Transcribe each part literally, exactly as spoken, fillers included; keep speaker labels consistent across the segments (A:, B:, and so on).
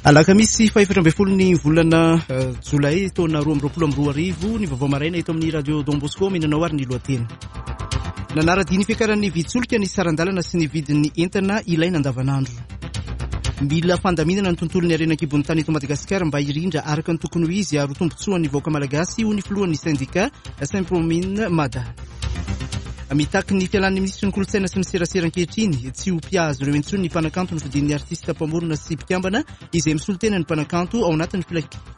A: Alakamisy fahefatra ambin'ny folo ny volana jolay taona roa amby roapolo amby roa arivo ny vaovao maraina eto amin'ny Radio Don Bosco minanao ary ny lohateny. Nanara-dia ny fiakaran'ny vidin-tsolika ny saran-dalana sy ny vidin'ny entana ilaina andavanandro. Mila fandaminana ny tontolon'ny harena an-kibon'ny tany eto Madagasikara mba hirindra araka ny tokony ho izy ary ho tombontsoan'ny vahoaka malagasy, hoy ny filohan'ny sendika Sempromine Mada. Mitaky ny fialan'ny minisitry ny kolontsaina sy ny serasera ankehitriny tsy ho mpihazo ireo intsony ny mpanakanto nofidin'ny artista mpamorona sy mpikambana izay misolo tena ny mpanakanto ao anatin'ny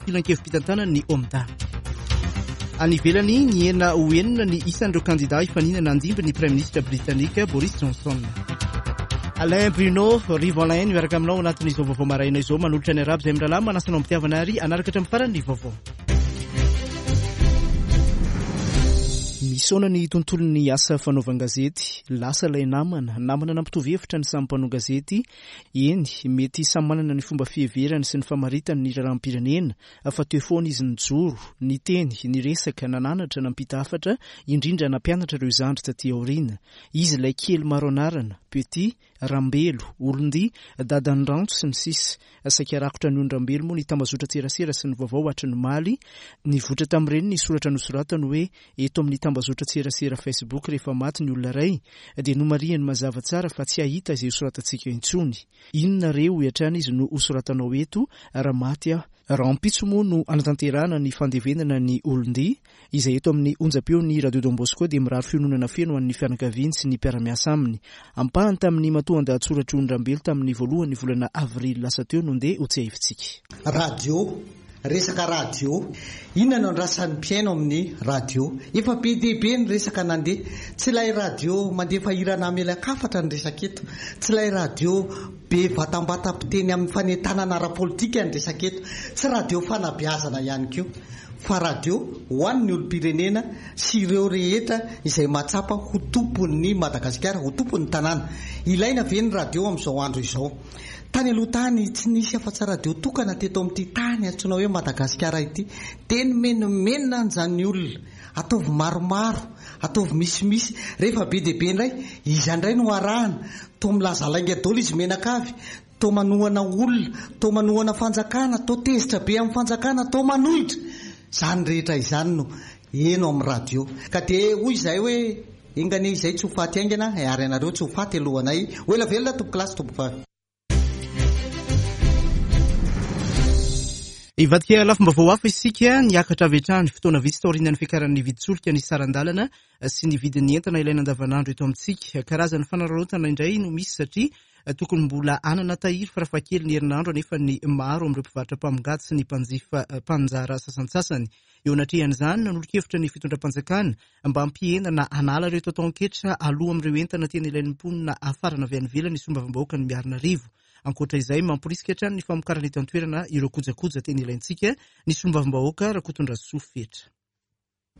A: filankevi-pitantanana ny OMDA. Any ivelany, nihena ho enina ny isan'ireo kandida hifaninana handimby ny praiminisitra britanika Boris Johnson. Alain Bruno Rivo Alain miaraka aminao anatin'izao vaovao maraina izao, manolotra ny arabo izay mirahalahy manasa anao am-pitiavana ary hanaraka hatramin'ny farany ny vaovao. Misaona ny tontolon'ny asa fanaovan-gazety, lasa ilay namana, namana nampitovy hevitra ny samy mpanao gazety, eny, mety samy manana ny fomba fiheverany sy ny famaritany ny raharaham-pirenena, fa teo foana izy nijoro, niteny, niresaka, nananatra, nampita hafatra, indrindra nampianatra ireo zandry taty aoriana. Izy ilay kely maro anarana, Petit, Rambelo, Olondia, Dadan'ny Ranto sy ny sisa. Saika rakotra ny Rambelo moa ny tambazotran-tserasera sy ny vaovao hatry ny omaly. Nivoitra tamin'ireny ny soratra nosoratany hoe eto amin'ny tambazotran-tserasera Facebook rehefa maty ny olona iray dia nomarihany mazava tsara fa tsy hahita izay hosoratantsika intsony. Inona re hoy hatrany izy no hosoratanao eto raha maty aho? Rahampitso moa no hanatanterahana ny fandevenana ny Olondia izay eto amin'ny onjam-peon'ny Radio Don Bosco dia mirary fiononana feno ho an'ny fianakaviany sy ny mpiara-miasa aminy. Ampahany tamin'ny matoan-dahatsoratry Ony Rambelo tamin'ny voalohan'ny volana avrily lasa teo no ndeha ho tsiahivintsika.
B: Radio, resaka radio. Inona no andrasan'ny mpihaino amin'ny radio? Efa be dia be ny resaka nandeha. Tsy ilay radio mandefa hira namelakafatra ny resaka eto. Tsy ilay radio be vatambatam-piteny amin'ny fanentanana ara-politika ny resaka eto. Tsy radio fanabeazana ihany koa, fa radio ho an'ny olom-pirenena sy ireo rehetra izay mahatsapa ho tompon'ny Madagasikara, ho tompon'ny tanàna. Ilaina ve ny radio amin'izao andro izao? Tany aloha tany tsy nisy afa-tsy radio tokana teto amin'ity tany antsoina hoe Madagasikara ity. Dia nomenomenina an'izany olona. Ataovy maromaro, ataovy misimisy. Rehefa be dia be indray, iza indray no arahana? Toa milaza lainga daholo izy menakavy, toa manohana olona, toa manohana fanjakana, toa tezitra be amin'ny fanjakana, toa manohitra. Izany rehetra izany no heno amin'ny radio. Ka dia hoy izahay hoe enga anie izay tsy ho faty haingana ary ianareo tsy ho faty alohanay. Ho ela velona tompokolahy sy tompokovavy.
A: Hivadika lafim-baovao hafa isika, niakatra avy hatrany fotoana vitsy taorian'ny fiakaran'ny vidin-tsolika ny saran-dalana sy ny vidin'ny entana ilaina andavanandro eto amintsika. Karazan'ny fanararaotana indray no misy satria tokony mbola hanana tahiry farafahakely ny herinandro anefa ny maro amin'ireo mpivarotra mpamongady sy ny mpanjifa mpanjara sasantsasany. Eo anatrehan'izany, nanolo-kevitra ny fitondram-panjakana mba hampihena na hanala ireo taon-ketra aloha amin'ireo entana tena ilain'ny mponina hafarana avy any ivelany ny solombavambahoaka ny Miarinarivo. Ankoatra izay, mamporisika hatrany ny famokarana eto an-toerana ireo kojakoja tena ilaintsika ny solombavambahoaka Rakotondrasoa Fetra.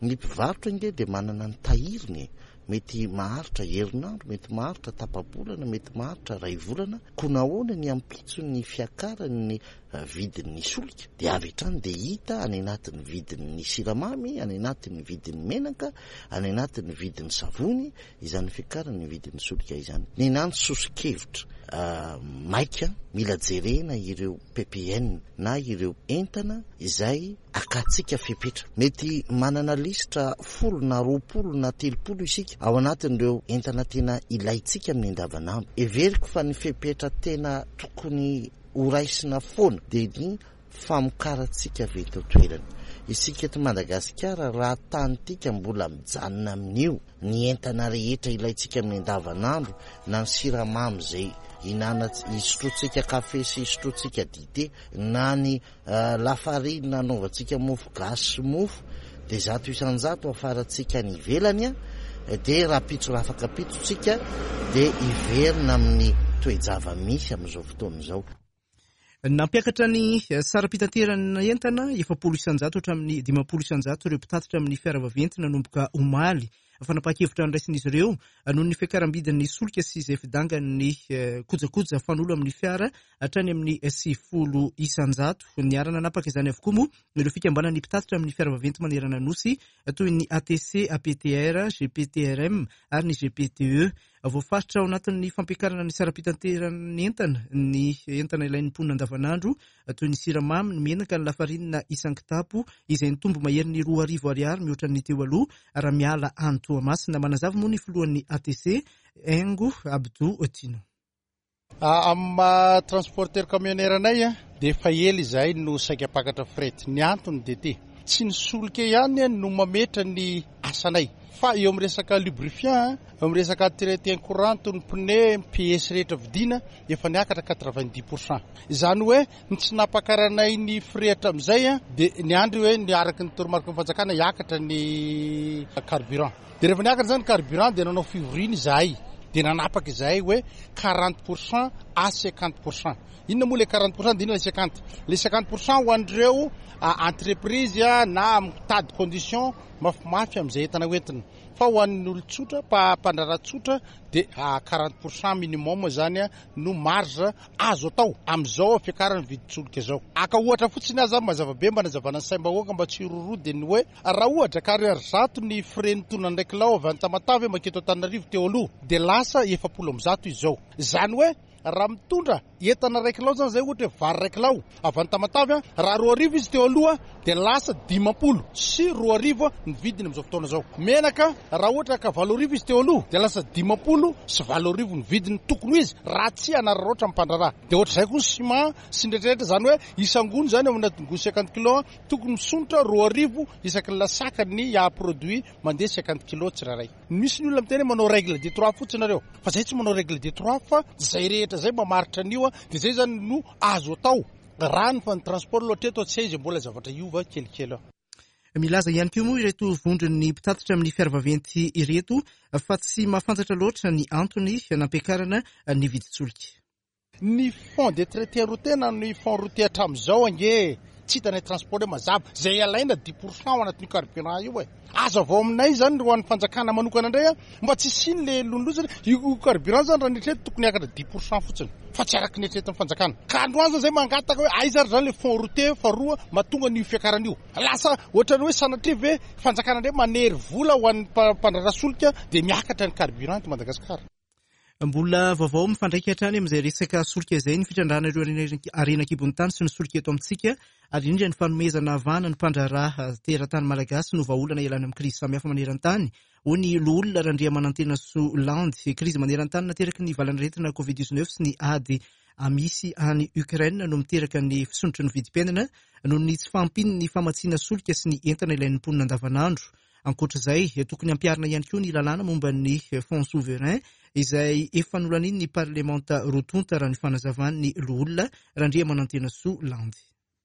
C: Ny mpivarotra ange dia manana ny tahiriny e. Mety maharitra herinandro, mety maharitra tapa-bolana, mety maharitra iray volana. Koa nahoana ny ampitso ny fiakaran'ny vidin'ny solika dia avy hatrany dia hita any anatin'ny vidin'ny siramamy, any anatin'ny vidin'ny menaka, any anatin'ny vidin'ny savony izany fiakaran'ny vidin'ny solika izany. Ny nany soso-kevitra maika mila jerena ireo P P N na ireo entana izay akatsika fepetra. Mety manana lisitra folo na roapolo na telopolo isika ao anatin'ireo entana tena ilaintsika amin'ny andavanandro. Heveriko fa ny fepetra tena tokony horaisina foana dia ny famokarantsika avy eto an-toerana. Isika eto Madagasikara raha tanytika mbola mijanona amin'io ny entana rehetra ilaintsika amin'ny andavanandro na ny siramamy izay hinana hisotrotsika kafe sy hisotrotsika dite na ny lafarina anaovantsika mofo gasy sy mofo dia zato isan-jato afarantsika any ivelany a, dia rahampitso raha afaka pitsontsika dia hiverina amin'ny toe-java-misy amin'izao fotoana izao.
A: Nampiakatra ny saram-pitaterana entana efapolo isan-jato hatramin'ny dimampolo isan-jato ireo mpitatitra amin'ny fiara vaventy nanomboka omaly. Fanapahan-kevitra noraisin'izy ireo noho ny fiakaram-bidin'ny solika sy izay fidangan'ny kojakoja fanolo amin'ny fiara hatrany amin'ny sivifolo isan-jato. Niara-nanapaka izany avokoa moa ireo fikambanan'ny mpitatitra amin'ny fiara vaventy manerana nosy toy ny A T C, A P T R, G P T R M ary ny G P T E. Voafaritra ao anatin'ny fampiakarana ny saram-pitanteran'ny entana ny entana ilain'ny mponina andavanandro toy ny siramamy, ny menaka, ny lafarinina isan-kitapo izay nitombo maherin'ny roa arivo ariary mihoatra ny teo aloha raha miala any Toamasina. Manazava moa ny filohan'ny A T C Haingo Abdou Tino.
D: Amin'ny maha transporteur camionnaire anay dia efa ela izahay no saika mpakatra fret. Ny antony dia ty, tsy ny solika ihany no mametra ny asanay fa eo amin'ny resaka lubrifiant, eo amin'ny resaka entretien courant, ny pneu, ny pièces rehetra vidiana efa niakatra quatre-vingt-dix pour cent. Izany hoe ny tsy nampakaranay ny frais hatramin'izay dia niandry hoe ny araka ny toromarika ny fanjakana hiakatra ny carburant. Dia rehefa niakatra izany carburant dia nanao fivoriana izahay. Dia nanapaka izahay hoe quarante pour cent à cinquante pour cent. Inona moa le quarante pour cent dia inona le cinquante? Le cinquante pour cent ho an'ireo entreprise na mitady condition mafimafy amin'izay entana hoentina. Fa ho an'ny olon-tsotra, mpa-, mpandraharaha tsotra dia quarante pour cent minimum zany no marge azo atao amin'izao fiakaran'ny vidin-tsolika izao. Aka ohatra fotsiny aza mazava be mba nazavana ny saim-bahoaka mba tsy hiroroa dia ny hoe raha ohatra ka ariary zato ny frais nitondra ny kilao avy any Tamatave maketo Antananarivo teo aloha dia lasa efapolo amby zato izao. Izany hoe raha mitondra entana iray kilao zany zay ohatra hoe vary iray kilao avy any Tamatave, raha roa arivo izy teo aloha dia lasa dimampolo sy roa arivo ny vidiny amin'izao fotoana izao. Menaka raha ohatra ka valo arivo izy teo aloha dia lasa dimampolo sy valo arivo ny vidiny tokony ho izy raha tsy hanararaotra ny mpandraharaha. Dia ohatr'izay koa ny ciment sy ny rehetrarehetra, izany hoe isangony zany ao anatin'ny gony cinquante kilos tokony misondrotra roa arivo isaky ny lasaka ny produit mandeha cinquante kilos tsirairay. Misy ny olona miteny hoe manao règle de trois fotsiny nareo, fa zay tsy manao règle de trois fa zay rehetra zay mamaritra an'io, dia zay zany no azo atao. Raha ny fa ny transport loatra eto tsy aiza mbola zavatra hiova kelikely.
A: Milaza ihany koa moa ireto vondron'ny mpitatitra amin'ny fiara vaventy ireto fa tsy mahafantatra loatra ny antony nampiakarana ny vidin-tsolika.
D: Ny fonds de traité routier na ny fonds routier hatramin'izao ange tsy hitanay transport hoe mazava, zay alaina dix pour cent ao anatin'io carburant io e. Aza avao aminay zany ho an'ny fanjakana manokana indray a, mba tsy hisiany le lonilosy. Io carburant zany raha nieritreretina tokony hiakatra dix pour cent fotsiny fa tsy araka ny eritreretin'ny fanjakana. Ka androany zany zay mangataka hoe aiza ary zany le fonds routier faharoa mahatonga an'io fiakarana io. Lasa ohatran'ny hoe sanatria ve fanjakana indray manery vola ho an'ny mpa-, mpandraharaha solika dia miakatra ny carburant eto Madagasikara.
A: Mbola vaovao mifandraika hatrany amin'izay resaka solika izay ny fitrandrahana ireo harena, harena an-kibon'ny tany sy ny solika eto amintsika, ary indrindra ny fanomezana vahana ny mpandraharaha teratany malagasy no vahaolana ialana amin'ny krizy samihafa maneran-tany. Hoy ny loholona Randriamanantenasoa Landy, krizy maneran-tany nateraky ny valanaretina covid dix-neuf sy ny ady misy any Ukraine no miteraka ny fisondrotry ny vidim-piainana noho ny tsy fahampian'ny famatsiana solika sy ny entana ilain'ny mponina andavanandro. Ankoatr'izay, tokony hampiharina ihany koa ny lalàna momba ny fonds souverain izay efa nolanian'ny parlemanta roa tonta raha ny fanazavan'ny loholona Randriamanantenasoa Landy.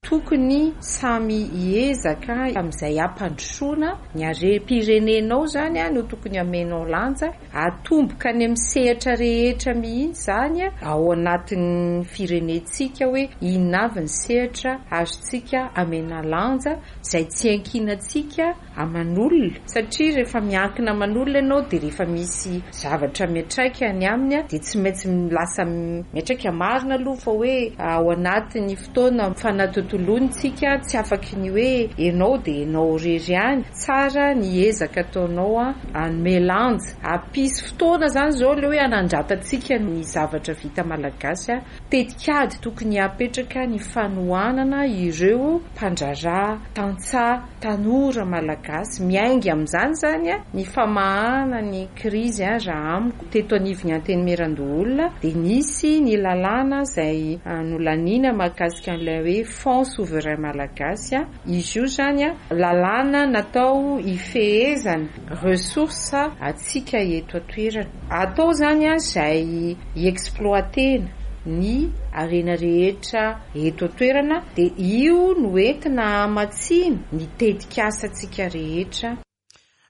E: Tokony samy hiezaka amin'izay hampandrosoana ny harem-pirenenao zany no tokony hamenao lanja, atomboka any amin'ny sehatra rehetra mihitsy zany ao anatin'ny firenentsika hoe inona avy ny sehatra azontsika amena lanja izay tsy ankinantsika aman'olona, satria rehefa miankina aman'olona ianao dia rehefa misy zavatra miantraika any aminy dia tsy maintsy lasa miantraika. Marina aloha fa hoe ao anatin'ny fotoana fanatontoloantsika tsy afaky ny hoe ianao dia ianao irery ihany, tsara ny ezaka ataonao a hanome lanja, hampisy fotoana zany izao le hoe hanandratantsika ny zavatra vita malagasy a. Tetikady tokony hapetraka ny fanohanana ireo mpandraharaha tantsaha tanora malagasy miainga amin'izany zany a ny famahana ny krizy a. Raha amiko teto anivon'ny Antenimierandoholona dia nisy ny lalàna izay nolaniana mahakasika an'ilay hoe fonds souverain malagasy a. Izy io zany a lalàna natao hifehezana ressources atsika eto an-toerana. Atao zany a izay hi-exploitena ny harena rehetra eto an-toerana dia io no entina hamatsiana ny tetikasantsika rehetra.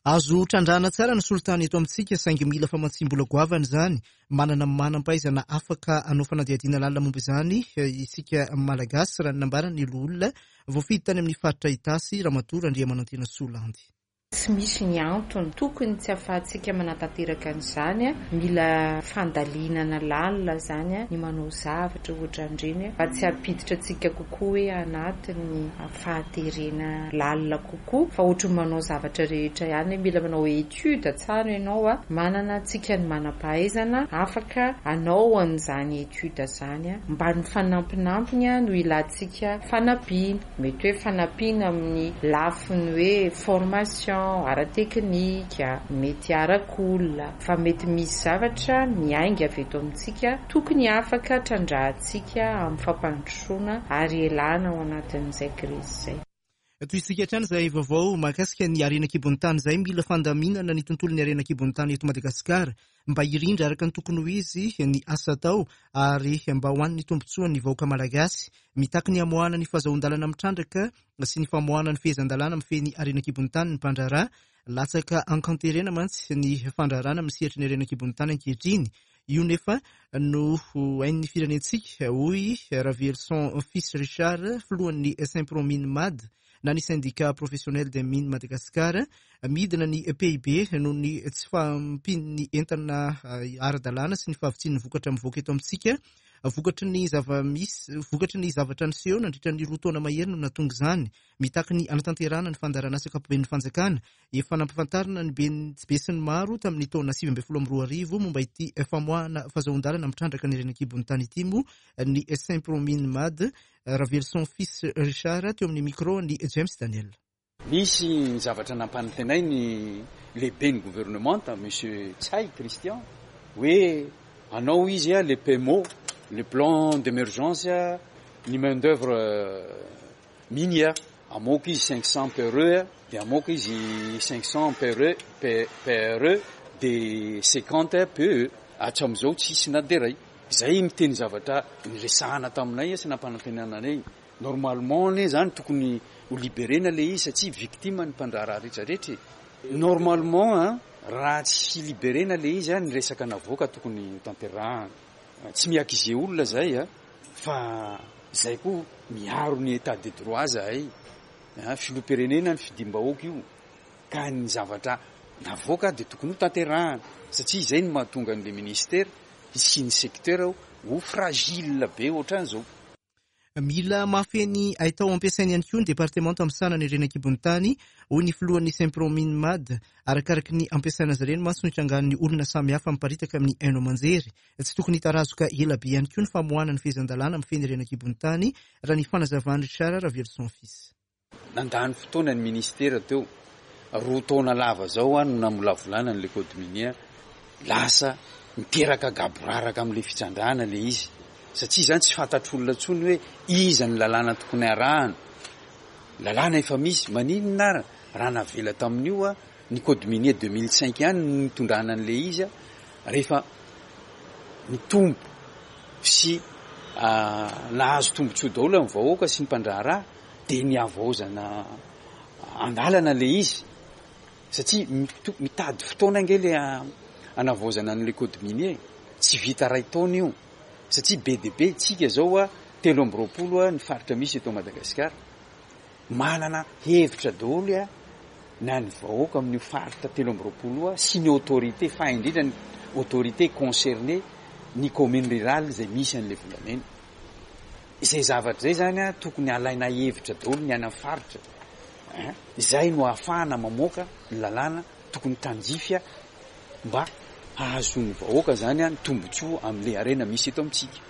A: Azo trandrahana tsara ny solitany eto amintsika saingy mila famatsiam-bola goavana izany. Manana manam-pahaizana afaka hanao fanadihadiana lalina momba izany isika malagasy raha ny nambaran'ny loholona voafidy tany amin'ny faritra Itasy Ramatoa Randriamanantenasoa Landy.
E: Tsy misy ny antony tokony tsy ahafahantsika manatanteraka an'izany. Mila fandalinana lalina zany ny manao zavatra ohatran'ireny mba tsy hampiditra antsika kokoa hoe anatin'ny fahaterena lalina kokoa, fa ohatry ny manao zavatra rehetra ihany mila manao étude tsara ianao a, manana antsika ny manam-pahaizana afaka hanao an'izany étude zany, mba ny fanampinampiny no ilantsika fanampiana, mety hoe fanampiana amin'ny lafiny hoe formation ara-teknika, mety arak'olona, fa mety misy zavatra miainga avy eto amintsika tokony afaka trandrahantsika amin'ny fampandrosoana ary elana ao anatin'izay krizy izay.
A: Tohizantsika hatrany izay vaovao mahakasika ny harena an-kibon'ny tany izay. Mila fandaminana ny tontolon'ny harena an-kibon'ny tany eto Madagasikara mba hirindra araka ny tokony ho izy ny asa atao ary mba ho an'ny tombontsoan'ny vahoaka malagasy. Mitaky ny hamoahana ny fahazoan-dalana mitrandraka sy ny famoahana ny fehezan-dalàna mifehy ny harena an-kibon'ny tany ny mpandraharaha. Latsaka ankanterena mantsy ny fandraharahana amin'ny sehatry ny harena an-kibon'ny tany ankehitriny. Io nefa no hain'ny firenentsika, hoy Ravelison Fils Richard, filohan'ny Sympromine Mad na ny syndicat professionnel des mines Madagascar. Midina ny P I B noho ny tsy fahampian'ny entana ara-dalàna sy ny fahavitsian'ny vokatra mivoaka eto amintsika. Vokatry ny zava-misy, vokatry ny zavatra niseho nandritra ny roa taona mahery no nahatonga izany. Mitaky ny hanatanterahana ny fandaharanasa ankapoben'ny fanjakana. Efa nampahafantarina ny be sy ny maro tamin'ny taona sivy ambin'ny folo amby roa arivo momba ity famoahana fahazoan-dalana mitrandraka ny harena an-kibon'ny tany ity moa ny Sympromine Mad. Ravelison Fils Richard teo amin'ny micro ny James Daniel.
F: Nisy ny zavatra nampanantenay ny lehiben'ny gouvernemanta, Monsieur Ntsay Christian, hoe anao izy a, le P M O, le plan d'émergence, ny main d'œuvre minière. Amoaka izy cinq cents P R E, dia amoaka izy cinq cents P R E, P, P R E, dia cinquante P E. Hatramin'izao tsisy na dia iray. Izay miteny zavatra niresahana taminay sy nampanantenana anay. Normalement anie zany tokony ho libérena le izy satria victime ny mpandraharaha rehetrarehetra. Normalement, hein, raha tsy libérena le izy, ny resaka navoaka tokony ho tanterahana. Tsy miakize olona zay, hein, fa zay koa miaro ny état de droit zahay. Hein, filoham-pirenena ny fidim-bahoaka io. Ka ny zavatra navoaka dia tokony ho tanterahana satria izay no mahatonga an'le ministère sy ny secteur ho fragile be ohatran'izao.
A: Mila mahafehy haitao ampiasaina ihany koa ny departemanta misahana ny harena an-kibon'ny tany, hoy ny filohan'ny Sympromine Mad. Arakaraky ny ampiasaina azy ireny mantsy no hitrangan'ny olona samihafa miparitaka amin'ny haino aman-jery. Tsy tokony hitarazoka ela be ihany koa ny famoahana ny fehezan-dalàna mifehy ny harena an-kibon'ny tany, raha ny fanazavan'i Richard Ravelison Fils.
F: Nandany fotoana ny ministera teo, roa taona lava zao no namolavolana an'ilay code minier, lasa miteraka gaboraraka amin'ilay fitrandrahana le izy. Satria izany tsy fantatr'olona intsony hoe iza ny lalàna tokony arahana. Lalàna efa misy, maninona ary raha navela tamin'io a, ny code minier deux mille cinq ihany no nitondrana an'ilay izy a, rehefa nitombo sy, ah, nahazo tombontsoa daholo amin'ny vahoaka sy ny mpandraharaha, dia nihavaozana andalana ilay izy. Satria mito-, mitady fotoana ange ilay hanavaozana an'ilay code minier, tsy vita iray taona io. Satria be dia be tsika zao a, telo amby roapolo a, ny faritra misy eto Madagasikara. Manana hevitra daholo a, na ny vahoaka amin'io faritra telo amby roapolo io a, sy ny autorité, fa indrindra ny autorité concernée, ny commune rurale izay misy an'ilay volamena. Izay zavatra izay zany a, tokony alaina hevitra daholo ny any amin'ny faritra. Hein? Izay no ahafahana mamoaka ny lalàna tokony tandrify a, mba hahazoan'ny vahoaka zany a, ny tombontsoa amin'ilay harena misy eto amintsika.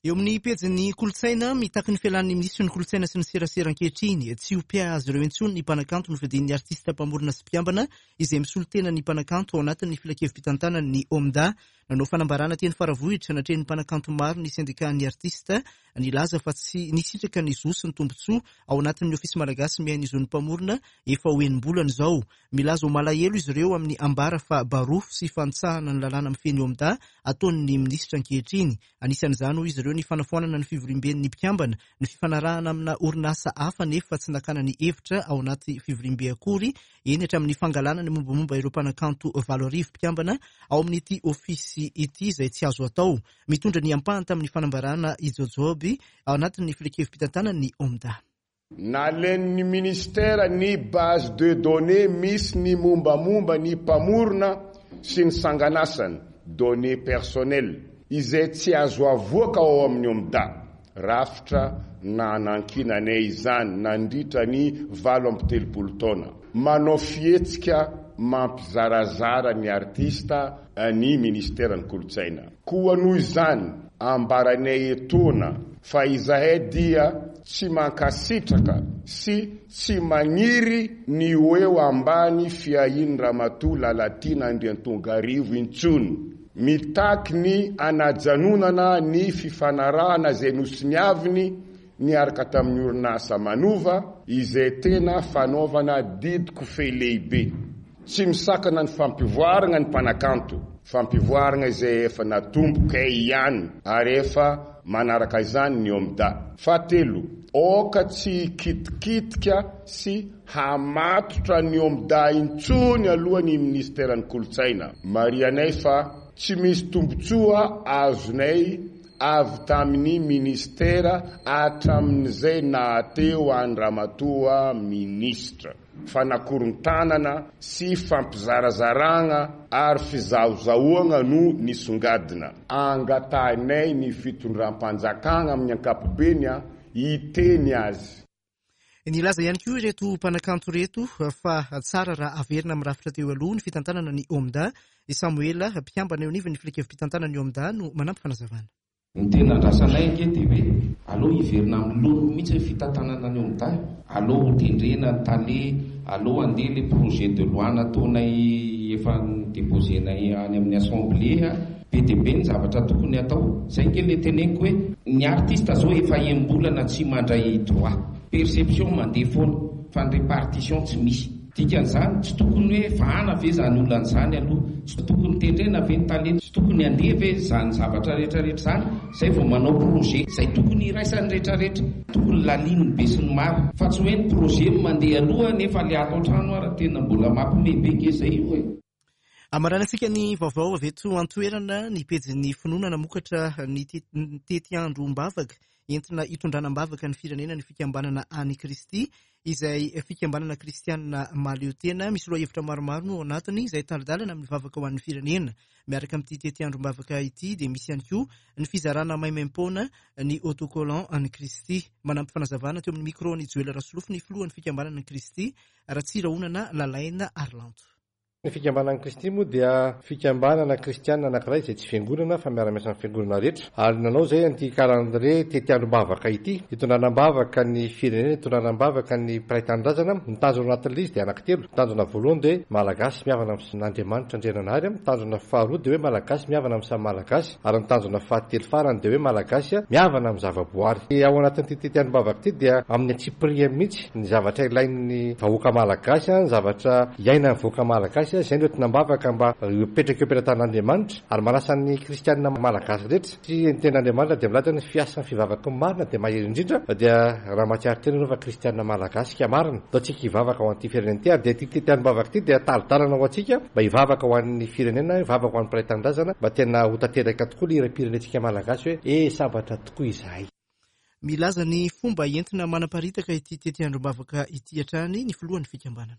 A: Eo amin'ny pejin'ny kolontsaina, mitaky ny fialan'ny minisitry ny kolontsaina sy ny serasera ankehitriny. Tsy ho mpiahy ireo intsony ny mpanakanto nofidin'ny artista mpamorona sy mpiambana izay misolo tena ny mpanakanto ao anatin'ny filankevi-pitantanan'ny OMDA. Nanao fanambarana teny Faravohitra natrehin'ny mpanakanto maro ny syndicat-n'ny artista, nilaza fa tsy nisitraka ny zo sy ny tombontsoa ao anatin'ny ofisy malagasy miahy ny zon'ny mpamorona efa ho enim-bolana izao. Milaza ho malahelo izy ireo amin'ny ambara fa barofo sy fanitsahana ny lalàna mifehy ny OMDA ataon'ny minisitra ankehitriny. Anisan'izany hoy izy ireo ny fanafoanana ny fivoriamben'ny mpikambana, ny fifanarahana amina orinasa hafa nefa tsy nakana ny hevitra ao anaty fivoriambe akory, eny hatramin'ny fangalana ny mombamomba ireo mpanakanto valo arivo mpikambana ao amin'ity ofisy ity izay tsy azo atao. Mitondra ny ampahany tamin'ny fanambarana i Jojoby ao anatin'ny filankevi-pitantanan'ny OMDA.
G: Nalain'ny ministera ny base de données misy ny mombamomba ny mpamorona sy ny sanganasany, données personnelles, izay tsy azo avoaka ao amin'ny OMDA. Rafitra nanankinanay izany nandritra ny valo amby telopolo taona. Manao fihetsika mampizarazara ny artista ny ministeran'ny kolontsaina. Koa noho izany ambaranay etoana fa izahay dia tsy mankasitraka sy tsy maniry ny ho eo ambany fiahian'ny Ramatoa Lalatiana Andriantongarivo intsony. Mitaky ny anajanonana ny fifanarahana izay nosoniaviny niaraka tamin'ny orinasa Manova, izay tena fanaovana didiko fe lehibe. Tsy misakana ny fampivoarana ny mpanakanto, fampivoarana izay efa natombokay ihany ary efa manaraka izany ny OMDA. Fahatelo, aoka tsy hikitikitika sy hamatotra ny OMDA intsony aloha ny ministeran'ny kolontsaina. Marihanay fa tsy misy tombontsoa azonay avy tamin'ny ministera hatramin'izay nahateo an-dRamatoa ministra. Fanakorontanana sy fampizarazarana ary fizahozahoana no nisongadina. Angatahinay ny fitondram-panjakana amin'ny ankapobeny hiteny azy.
A: Nilaza ihany koa ireto mpanakanto ireto fa tsara raha averina amin'ny rafitra teo aloha ny fitantanana ny OMDA. I Samoela, mpikambana eo anivon'ny filankevi-pitantanana ny OMDA, no manampy fanazavana.
H: Ny tena andrasanay ange dia hoe aleo hiverina amin'ny laoniny mihitsy ny fitantanana ny OMDA, aleo ho tendrena ny tale, aleo handeha le projet de loi nataonay efa déposenay any amin'ny assemblée. Be dia be ny zavatra tokony atao. Zay ange le teneniko hoe ny artiste zao efa enim-bolana tsy mandray droit, perception mandeha foana fa ny répartition tsy misy. Dikan'izany tsy tokony hoe vahana ve zany olana zany aloha, tsy tokony tendrena ve ny tale, tsy tokony handeha ve zany zavatra rehetrarehetra zany, zay vao manao projet zay tokony iraisan'ny rehetrarehetra, tokony lalin'ny be sy ny maro, fa tsy hoe ny projet mandeha aloha nefa le ato an-trano ara tena mbola mampime be nge zay io e.
A: Amaranantsika ny vaovao avy eto an-toerana ny pejin'ny finoana namokatra ny tetiandrom-bavaka entina hitondrana am-bavaka ny firenena ny fikambanana an'i Kristy, izay fikambanana kristianina mahaleo tena. Misy lohahevitra maromaro no ao anatiny izay tari-dalana amin'ny vavaka ho an'ny firenena. Miaraka amin'ity tetiandrom-bavaka ity dia misy ihany koa ny fizarana maimaim-poana ny autocollant an'i Kristy. Manampy fanazavana teo amin'ny micro ny Joela Rasolofo ny filohan'ny fikambanana an'i Kristy, Ratsirahonana Lalaina Arlanto.
I: Ny fikambanan'i Kristy moa dia fikambanana kristianina anankiray izay tsy fiangonana fa miara-miasa amin'ny fiangonana rehetra, ary nanao izay an'ity calendrier tetiandrom-bavaka ity, hitondrana am-bavaka ny firenena, hitondrana am-bavaka ny mpiray tanindrazana. Ny tanjona anatin'ilay izy dia anankitelo. Ny tanjona voalohany dia malagasy mihavana amin'Andriamanitra Andriananahary, ny tanjona faharoa dia hoe malagasy mihavana amin'ny samy malagasy, ary ny tanjona fahatelo farany dia hoe malagasy mihavana amin'ny zavaboary. Ao anatin'ity tetiandrom-bavaka ity dia amin'ny antsipiriany mihitsy ny zavatra ilain'ny vahoaka malagasy, ny zavatra iainan'ny vahoaka malagasy, izay no entina am-bavaka mba hipetraka eo am-pelatanan'Andriamanitra, ary manasa ny kristianina malagasy rehetra. Sy ny tenin'Andriamanitra dia milaza ny fiasan'ny fivavaky ny marina dia mahery indrindra, dia raha mahatsiaro tena ianao fa kristianina malagasy ka marina, atao tsika hivavaka ho an'ity firenena ity, ary dia ity tetiandrom-bavaka ity dia tari-dalana ho antsika mba hivavaka ho an'ny firenena, hivavaka ho an'ny mpiray tanindrazana, mba tena ho tanteraka tokoa ny hiram-pirenentsika malagasy hoe e sambatra tokoa izahay.
A: Milaza ny fomba entina manaparitaka ity tetiandrom-bavaka ity hatrany ny filohan'ny fikambanana.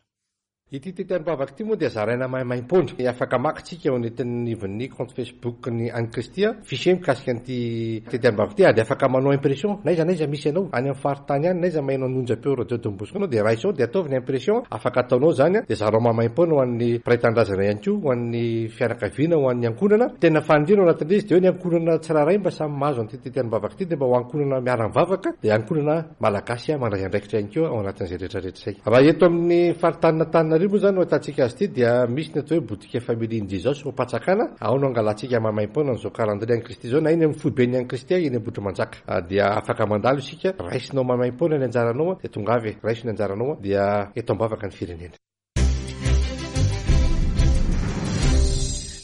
I: Ity tetiandrom-bavaka ity moa dia zaraina maimaim-poana. Afaka maka tsika eo anatin'ny compte Facebook ny an'i Kristy, fichier mikasika an'ity tetiandrom-bavaka ity, ary afaka manao impression na aiza na aiza misy anao, any amin'ny faritany any, na aiza maheno ny onjam-peo radio Don Bosco anao, dia raiso ao, dia ataovy ny impression, afaka ataonao zany, dia zarao maimaim-poana ho an'ny mpiray tanindrazana ihany koa, ho an'ny fianakaviana, ho an'ny ankohonana. Tena faniriana ao anatin'ilay izy dia hoe ny ankohonana tsirairay mba samy mahazo an'ity tetiandrom-bavaka ity, dia mba ho ankohonana miara-mivavaka, dia ankohonana malagasy mandray andraikitra ihany koa ao anatin'izay rehetrarehetra izay. Raha eto amin'ny faritanin'Antananarivo moa zany no ahitantsika azy ity, dia misy ny atao hoe boutique Family Jesus ao Ampanjakana, ao no angalantsika maimaim-poana an'izao calendrier an'i Kristy izao, na eny amin'ny foiben'ny an'i Kristy eny Ambohitrimanjaka. Dia afaka mandalo isika, raisinao maimaim-poana ny anjaranao, dia tonga avy, raiso ny anjaranao, dia eto am-bavaka ny firenena.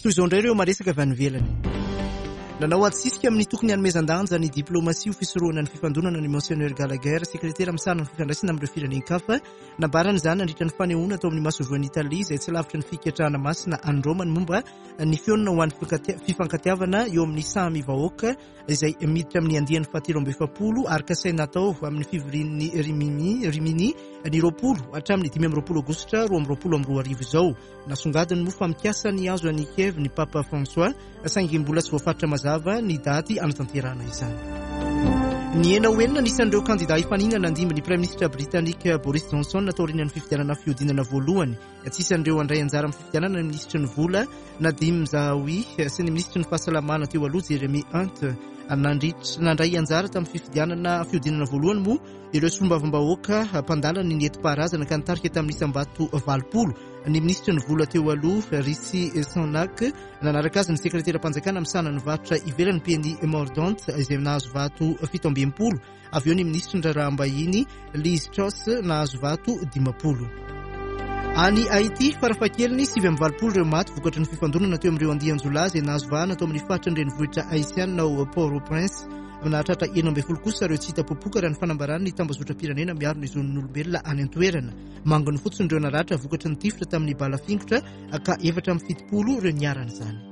A: Toy izao indray ireo maresaka avy any ivelany. Nanao adisisika amin'ny tokony hanomezan-danja ny diplomasia ho fisorohana ny fifandonana ny Monseigneur Gallagher, sekretera misahana ny fifandraisana amin'ireo firenen-kafa. Nambarany izany nandritra ny fanehoana tao amin'ny masoivohon'i Italia izay tsy lavitry ny fiketrahana masina any Roma ny momba ny fihaonana ho an'ny fifankatiavana eo amin'ny samy vahoaka izay miditra amin'ny andiany fahatelo amby efapolo ary kasaina atao amin'ny fivorian'ny Rimini Rimini ny roapolo hatramin'ny dimy amby roapolo aogositra roa amby roapolo amby roa arivo izao. Nasongadiny moa fa mikasa ny hazo an'i Kiev ny Papa François, saingy mbola tsy voafaritra mazava ny daty hanatanterahana izany. Nihena ho enina ny isan'ireo kandida hifaninana handimby ny Praiminisitra Britanika Boris Johnson taorian'ny fifidianana fihodinana voalohany. Tsy isan'ireo handray anjara amin'ny fifidianana ny minisitry ny vola Nadhim Zahawi sy ny minisitry ny fahasalamana teo aloha Jeremy Hunt. Nandritra nandray anjara tamin'ny fifidianana fihodinana voalohany moa ireo solombavambahoaka mpandala ny nentim-paharazana ka nitarika tamin'ny isam-bato valopolo ny minisitry ny vola teo aloha Rishi Sunak. Nanaraka azy ny sekreteram-panjakana misahana ny varotra ivelany Penny Mordaunt izay nahazo vato fito amby enimpolo. Avy eo ny minisitry ny raharaham-bahiny Liz Truss nahazo vato dimampolo. Any Haiti, farafahakeliny sivy amby valopolo ireo maty vokatry ny fifandonana teo amin'ireo andian-jiolahy izay nahazo vahana tao amin'ny faritra ny renivohitra haitiana ao Port-au-Prince. Nahatratra enina ambin'ny folo kosa ireo tsy hita popoka raha ny fanambaran'ny tambazotram-pirenena miaro ny zon'ny olombelona any an-toerana. Manginy fotsiny ireo naratra vokatry ny tifitra tamin'ny bala fingotra ka efatra amby fitopolo ireo niharan'izany.